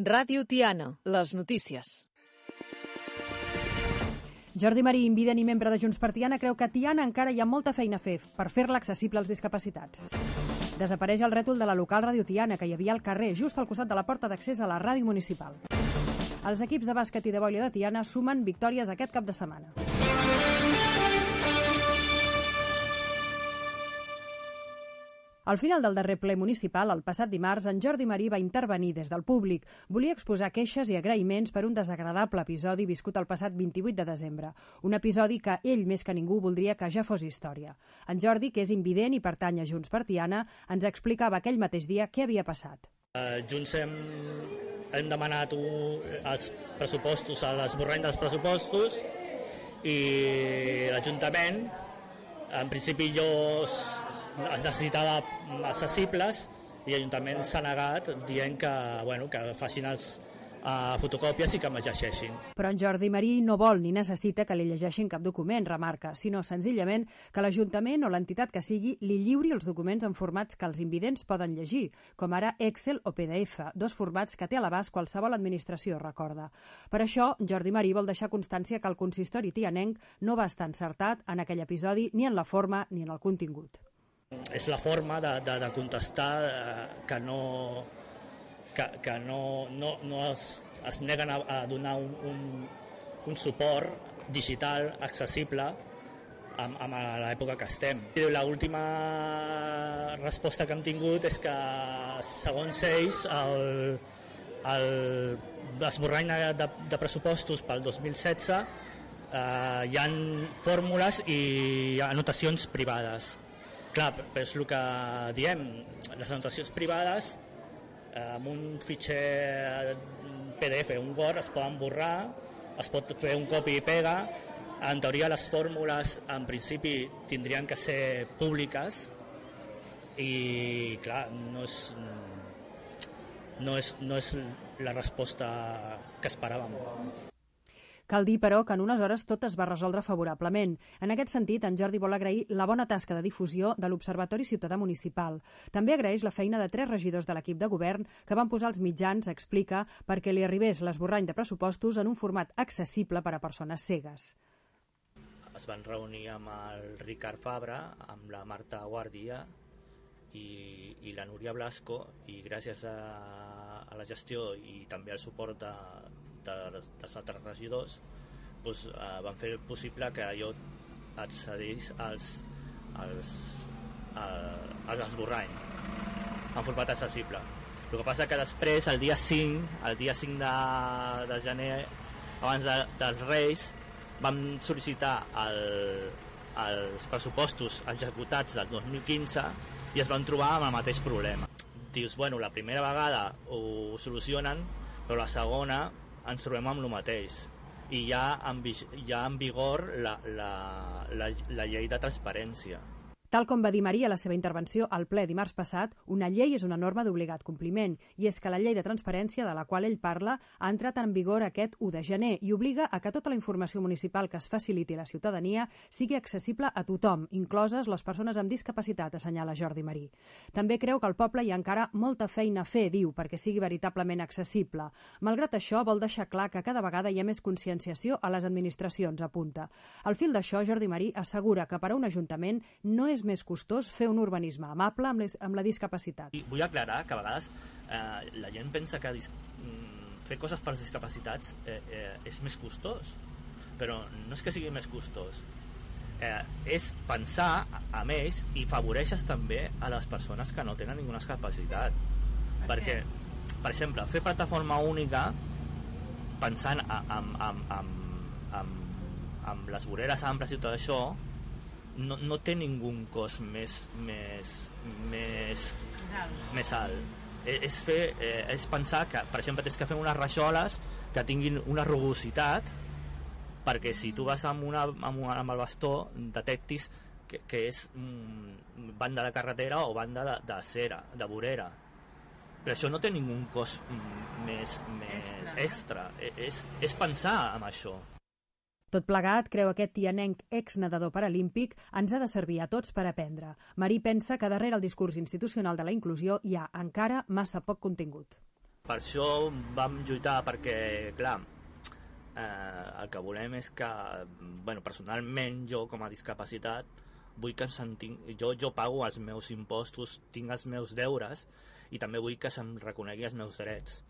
Ràdio Tiana, les notícies. Jordi Marí, invident i membre de Junts per Tiana, creu que a Tiana encara hi ha molta feina a fer per fer-la accessible als discapacitats. Desapareix el rètol de la local Ràdio Tiana, que hi havia al carrer, just al costat de la porta d'accés a la ràdio municipal. Els equips de bàsquet i de vòlei de Tiana sumen victòries aquest cap de setmana. Al final del darrer ple municipal, el passat dimarts, en Jordi Marí va intervenir des del públic. Volia exposar queixes i agraïments per un desagradable episodi viscut el passat 28 de desembre. Un episodi que ell, més que ningú, voldria que ja fos història. En Jordi, que és invident i pertany a Junts per Tiana, ens explicava aquell mateix dia què havia passat. Junts hem demanat els pressupostos, l'esborrany dels pressupostos, i l'Ajuntament, en principi es necessitava accessibles i l'Ajuntament s'ha negat dient que facin fotocòpies i que me'ls llegeixin. Però en Jordi Marí no vol ni necessita que li llegeixin cap document, remarca, sinó senzillament que l'Ajuntament o l'entitat que sigui li lliuri els documents en formats que els invidents poden llegir, com ara Excel o PDF, dos formats que té a l'abast qualsevol administració, recorda. Per això, Jordi Marí vol deixar constància que el consistori tianenc no va estar encertat en aquell episodi ni en la forma ni en el contingut. És la forma de contestar que no es neguen a donar un suport digital accessible a l'època que estem. L'última resposta que hem tingut és que, segons ells, l'esborrany de pressupostos pel 2016 hi ha fórmules i anotacions privades. Clar, però és el que diem, les anotacions privades amb un fitxer PDF, un Word, es poden borrar, es pot fer un copy i pega. En teoria les fórmules en principi tindrien que ser públiques i clar, no és la resposta que esperàvem. Cal dir, però, que en unes hores tot es va resoldre favorablement. En aquest sentit, en Jordi vol agrair la bona tasca de difusió de l'Observatori Ciutadà Municipal. També agraeix la feina de 3 regidors de l'equip de govern que van posar els mitjans, explica, perquè li arribés l'esborrany de pressupostos en un format accessible per a persones cegues. Es van reunir amb el Ricard Fabra, amb la Marta Guàrdia i la Núria Blasco, i gràcies a la gestió i també al suport dels altres regidors van fer possible que jo accedís als esborrany en format accessible. El que passa que després, el dia 5 de gener, abans dels Reis, vam sol·licitar els pressupostos executats del 2015 i es van trobar amb el mateix problema. Dius, la primera vegada ho solucionen, però la segona ens trobem amb el mateix. I hi ha en vigor la llei de transparència. Tal com va dir Marí a la seva intervenció al ple dimarts passat, una llei és una norma d'obligat compliment, i és que la llei de transparència de la qual ell parla ha entrat en vigor aquest 1 de gener i obliga a que tota la informació municipal que es faciliti a la ciutadania sigui accessible a tothom, incloses les persones amb discapacitat, assenyala Jordi Marí. També creu que al poble hi ha encara molta feina a fer, diu, perquè sigui veritablement accessible. Malgrat això, vol deixar clar que cada vegada hi ha més conscienciació a les administracions, apunta. Al fil d'això, Jordi Marí assegura que per a un ajuntament no és més costós fer un urbanisme amable amb la discapacitat. Vull aclarar que a vegades la gent pensa que fer coses per als discapacitats és més costós, però no és que sigui més costós, és pensar amb ells i favoreixes també a les persones que no tenen ninguna capacitat. Perquè, per exemple, fer plataforma única pensant amb les voreres amples i tot això no té ningú cost més alt. És pensar que, per exemple, tens que fer unes rajoles que tinguin una rugositat perquè si tu vas amb el bastó detectis que és banda de carretera o banda de cera, de vorera. Però això no té ningú cost més extra. És pensar en això. Tot plegat, creu aquest tianenc exnedador paralímpic, ens ha de servir a tots per aprendre. Marí pensa que darrere el discurs institucional de la inclusió hi ha encara massa poc contingut. Per això vam lluitar, perquè, clar, el que volem és que, personalment, jo com a discapacitat, vull que jo pago els meus impostos, tinc els meus deures, i també vull que se'm reconegui els meus drets.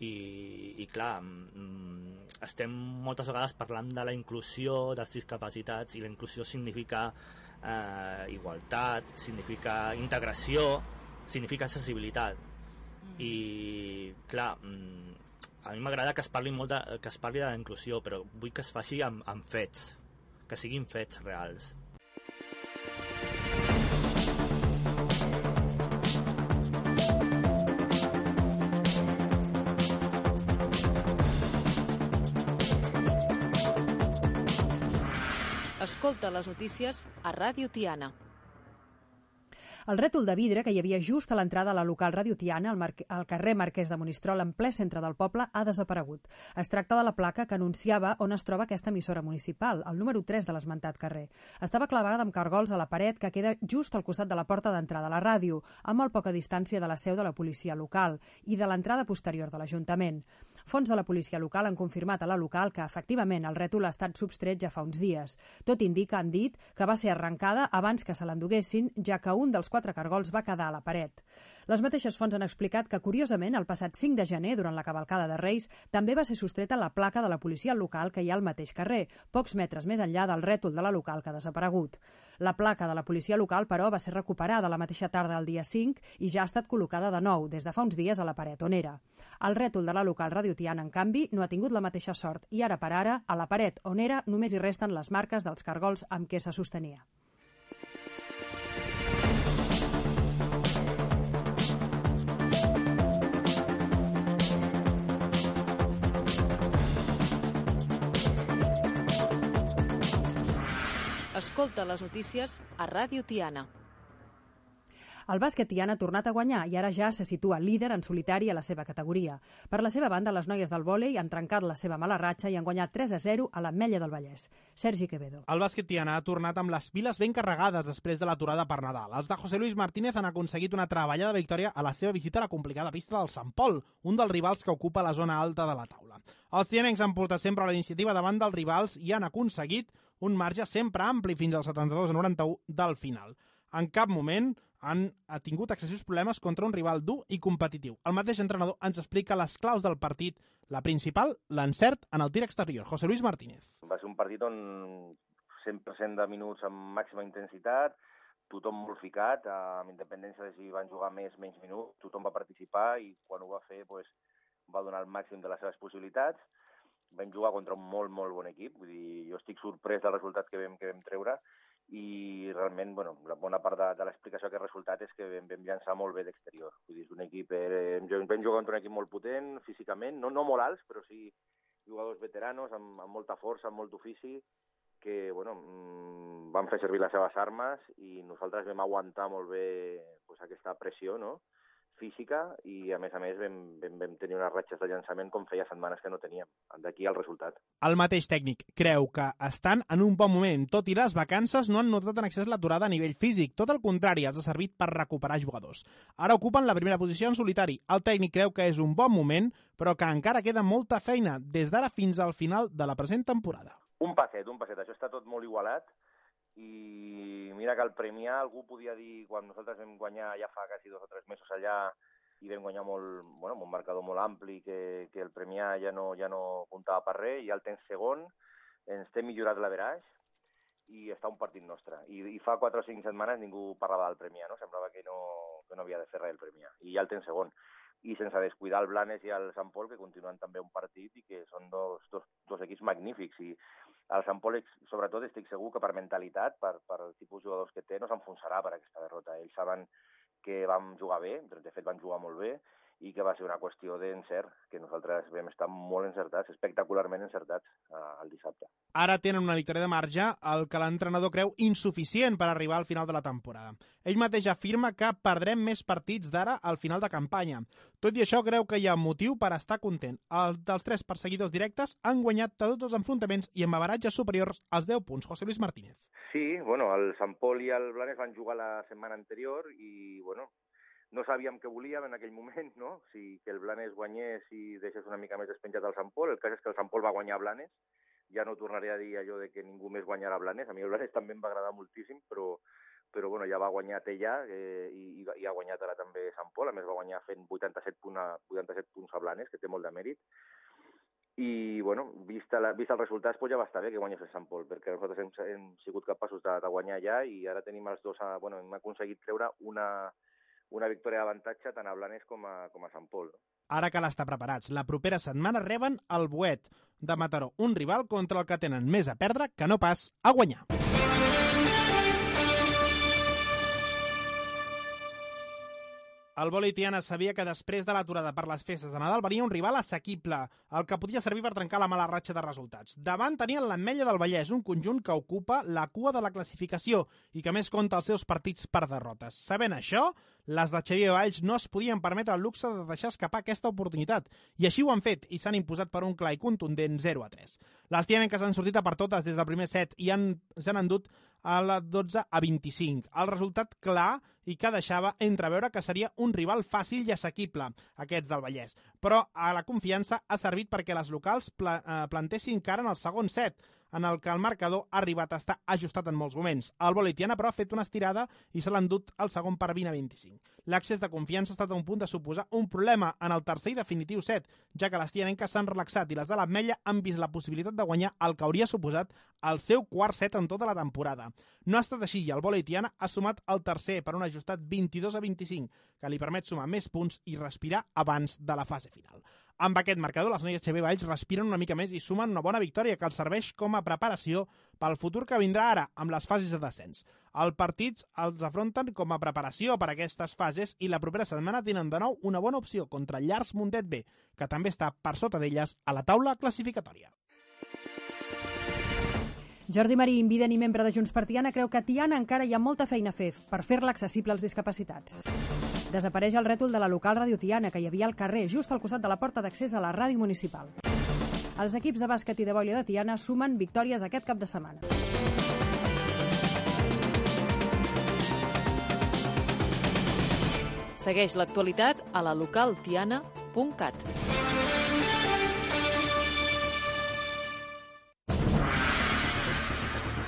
I clar, estem moltes vegades parlant de la inclusió dels discapacitats, i la inclusió significa igualtat, significa integració, significa accessibilitat. I clar, a mi m'agrada que es parli de la inclusió, però vull que es faci amb fets, que siguin fets reals. Escolta les notícies a Ràdio Tiana. El rètol de vidre que hi havia just a l'entrada a la local Ràdio Tiana, al carrer Marquès de Monistrol, en ple centre del poble, ha desaparegut. Es tracta de la placa que anunciava on es troba aquesta emissora municipal, el número 3 de l'esmentat carrer. Estava clavada amb cargols a la paret que queda just al costat de la porta d'entrada a la ràdio, a molt poca distància de la seu de la policia local i de l'entrada posterior de l'Ajuntament. Fonts de la policia local han confirmat a la local que, efectivament, el rètol ha estat substret ja fa uns dies. Tot indica, han dit, que va ser arrencada abans que se l'enduguessin, ja que un dels 4 cargols va quedar a la paret. Les mateixes fonts han explicat que, curiosament, el passat 5 de gener, durant la cavalcada de Reis, també va ser sostreta la placa de la policia local que hi ha al mateix carrer, pocs metres més enllà del rètol de la local que ha desaparegut. La placa de la policia local, però, va ser recuperada la mateixa tarda del dia 5 i ja ha estat col·locada de nou, des de fa uns dies, a la paret on era. El rètol de la local Ràdio Tiana, en canvi, no ha tingut la mateixa sort i ara per ara, a la paret on era, només hi resten les marques dels cargols amb què se sostenia. Escolta les notícies a Ràdio Tiana. El bàsquet Tiana ha tornat a guanyar i ara ja se situa líder en solitari a la seva categoria. Per la seva banda, les noies del vòlei han trencat la seva mala ratxa i han guanyat 3-0 a l'Ametlla del Vallès. Sergi Quevedo. El bàsquet Tiana ha tornat amb les piles ben carregades després de l'aturada per Nadal. Els de José Luis Martínez han aconseguit una treballada victòria a la seva visita a la complicada pista del Sant Pol, un dels rivals que ocupa la zona alta de la taula. Els tianencs han portat sempre la iniciativa davant dels rivals i han aconseguit un marge sempre ampli fins al 72-91 del final. En cap moment han tingut excessius problemes contra un rival dur i competitiu. El mateix entrenador ens explica les claus del partit. La principal, l'encert en el tir exterior. José Luis Martínez. Va ser un partit on 100% de minuts amb màxima intensitat, tothom molt ficat, amb independència de si van jugar més o menys minuts, tothom va participar i quan ho va fer va donar el màxim de les seves possibilitats. Vam jugar contra un molt bon equip, vull dir, jo estic sorprès del resultat que vam treure, i realment, la bona part de l'explicació d'aquest resultat és que vam llançar molt bé d'exterior. Vull dir, és un equip, vam jugar contra un equip molt potent físicament, no molt alts, però sí jugadors veteranos amb molta força, amb molt ofici, que van fer servir les seves armes i nosaltres vam aguantar molt bé aquesta pressió, no?, física, i a més vam tenir unes ratxes de llançament com feia setmanes que no teníem. D'aquí el resultat. El mateix tècnic creu que estan en un bon moment, tot i les vacances no han notat en excés l'aturada a nivell físic. Tot el contrari, els ha servit per recuperar jugadors. Ara ocupen la primera posició en solitari. El tècnic creu que és un bon moment, però que encara queda molta feina des d'ara fins al final de la present temporada. Un passet. Això està tot molt igualat. I mira que el Premià, algú podia dir, quan nosaltres vam guanyar ja fa quasi 2 o 3 mesos allà i vam guanyar amb un marcador molt ampli, que el Premià ja no comptava per res, i al temps segon ens té millorat l'average i està un partit nostre. I fa 4 o 5 setmanes ningú parlava del Premià, no? Semblava que no havia de fer res el Premià. I ja el temps segon. I sense descuidar el Blanes i el Sant Pol, que continuen també un partit i que són dos equips magnífics. I el Sant Pol, sobretot, estic segur que per mentalitat, per el tipus de jugadors que té, no s'enfonsarà per aquesta derrota. Ells saben que vam jugar bé, de fet van jugar molt bé, i que va ser una qüestió d'encert, que nosaltres vam estar molt encertats, espectacularment encertats el dissabte. Ara tenen una victòria de marge, el que l'entrenador creu insuficient per arribar al final de la temporada. Ell mateix afirma que perdrem més partits d'ara al final de campanya. Tot i això, creu que hi ha motiu per estar content. Els dels 3 perseguidors directes han guanyat tots els enfrontaments i amb avantatges superiors als 10 punts. José Luis Martínez. Sí, el Sant Pol i el Blanes van jugar la setmana anterior i, no sabíem què volíem en aquell moment, no? Si que el Blanes guanyés i deixés una mica més despenjat al Sant Pol. El cas és que el Sant Pol va guanyar Blanes. Ja no tornaré a dir allò de que ningú més guanyarà Blanes. A mi el Blanes també em va agradar moltíssim, però bueno, ja va guanyar Tellà i ha guanyat ara també Sant Pol. A més, va guanyar fent 87 punts a Blanes, que té molt de mèrit. I, bueno, vist els resultats, ja va estar bé que guanyés el Sant Pol, perquè nosaltres hem sigut capaços de guanyar ja i ara tenim els dos... hem aconseguit treure una victòria d'avantatge tant a Blanes com a Sant Pol. Ara cal estar preparats. La propera setmana reben el Boet de Mataró, un rival contra el que tenen més a perdre que no pas a guanyar. El vòlei Tiana sabia que després de l'aturada per les festes de Nadal venia un rival assequible, el que podia servir per trencar la mala ratxa de resultats. Davant tenien l'Ametlla del Vallès, un conjunt que ocupa la cua de la classificació i que més compta els seus partits per derrotes. Sabent això, les de Xavier Valls no es podien permetre el luxe de deixar escapar aquesta oportunitat, i així ho han fet i s'han imposat per un clar i contundent 0-3. Les tianenques han sortit a per totes des del primer set i s'han endut a la 12-25. El resultat clar i que deixava entreveure que seria un rival fàcil i assequible, aquests del Vallès. Però a la confiança ha servit perquè les locals plantessin cara en el segon set, en el que el marcador ha arribat a estar ajustat en molts moments. El vòlei Tiana, però, ha fet una estirada i se l'ha endut al segon per 20-25. L'accés de confiança ha estat a un punt de suposar un problema en el tercer i definitiu set, ja que les tianenques s'han relaxat i les de l'Ametlla han vist la possibilitat de guanyar el que hauria suposat el seu quart set en tota la temporada. No ha estat així i el vòlei Tiana ha sumat el tercer per un ajustat 22-25, que li permet sumar més punts i respirar abans de la fase final. Amb aquest marcador, les noies Xavier Valls respiren una mica més i sumen una bona victòria que els serveix com a preparació pel futur que vindrà ara, amb les fases de descens. Els partits els afronten com a preparació per a aquestes fases i la propera setmana tenen de nou una bona opció contra el Llars Mundet B, que també està per sota d'elles a la taula classificatòria. Jordi Marí, invident i membre de Junts per Tiana, creu que a Tiana encara hi ha molta feina a fer per fer-la accessible als discapacitats. Desapareix el rètol de la local Ràdio Tiana, que hi havia al carrer, just al costat de la porta d'accés a la ràdio municipal. Els equips de bàsquet i de vòlei de Tiana sumen victòries aquest cap de setmana. Segueix l'actualitat a la localtiana.cat.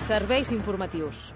Serveis informatius.